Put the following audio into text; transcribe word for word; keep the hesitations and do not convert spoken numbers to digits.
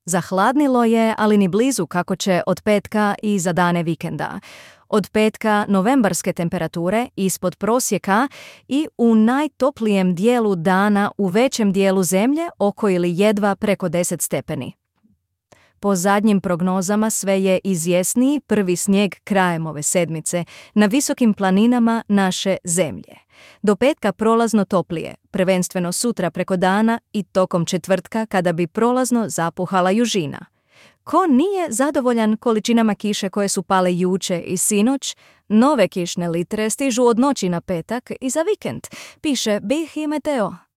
Zahladnilo je, ali ni blizu kako će od petka i za dane vikenda. Od petka novembarske temperature ispod prosjeka i u najtoplijem dijelu dana u većem dijelu zemlje oko ili jedva preko deset stepeni. Po zadnjim prognozama sve je izvjesniji prvi snijeg krajem ove sedmice na visokim planinama naše zemlje. Do petka prolazno toplije, prvenstveno sutra preko dana i tokom četvrtka kada bi prolazno zapuhala južina. Ko nije zadovoljan količinama kiše koje su pale juče i sinoć, nove kišne litre stižu od noći na petak i za vikend, piše BiH Meteo.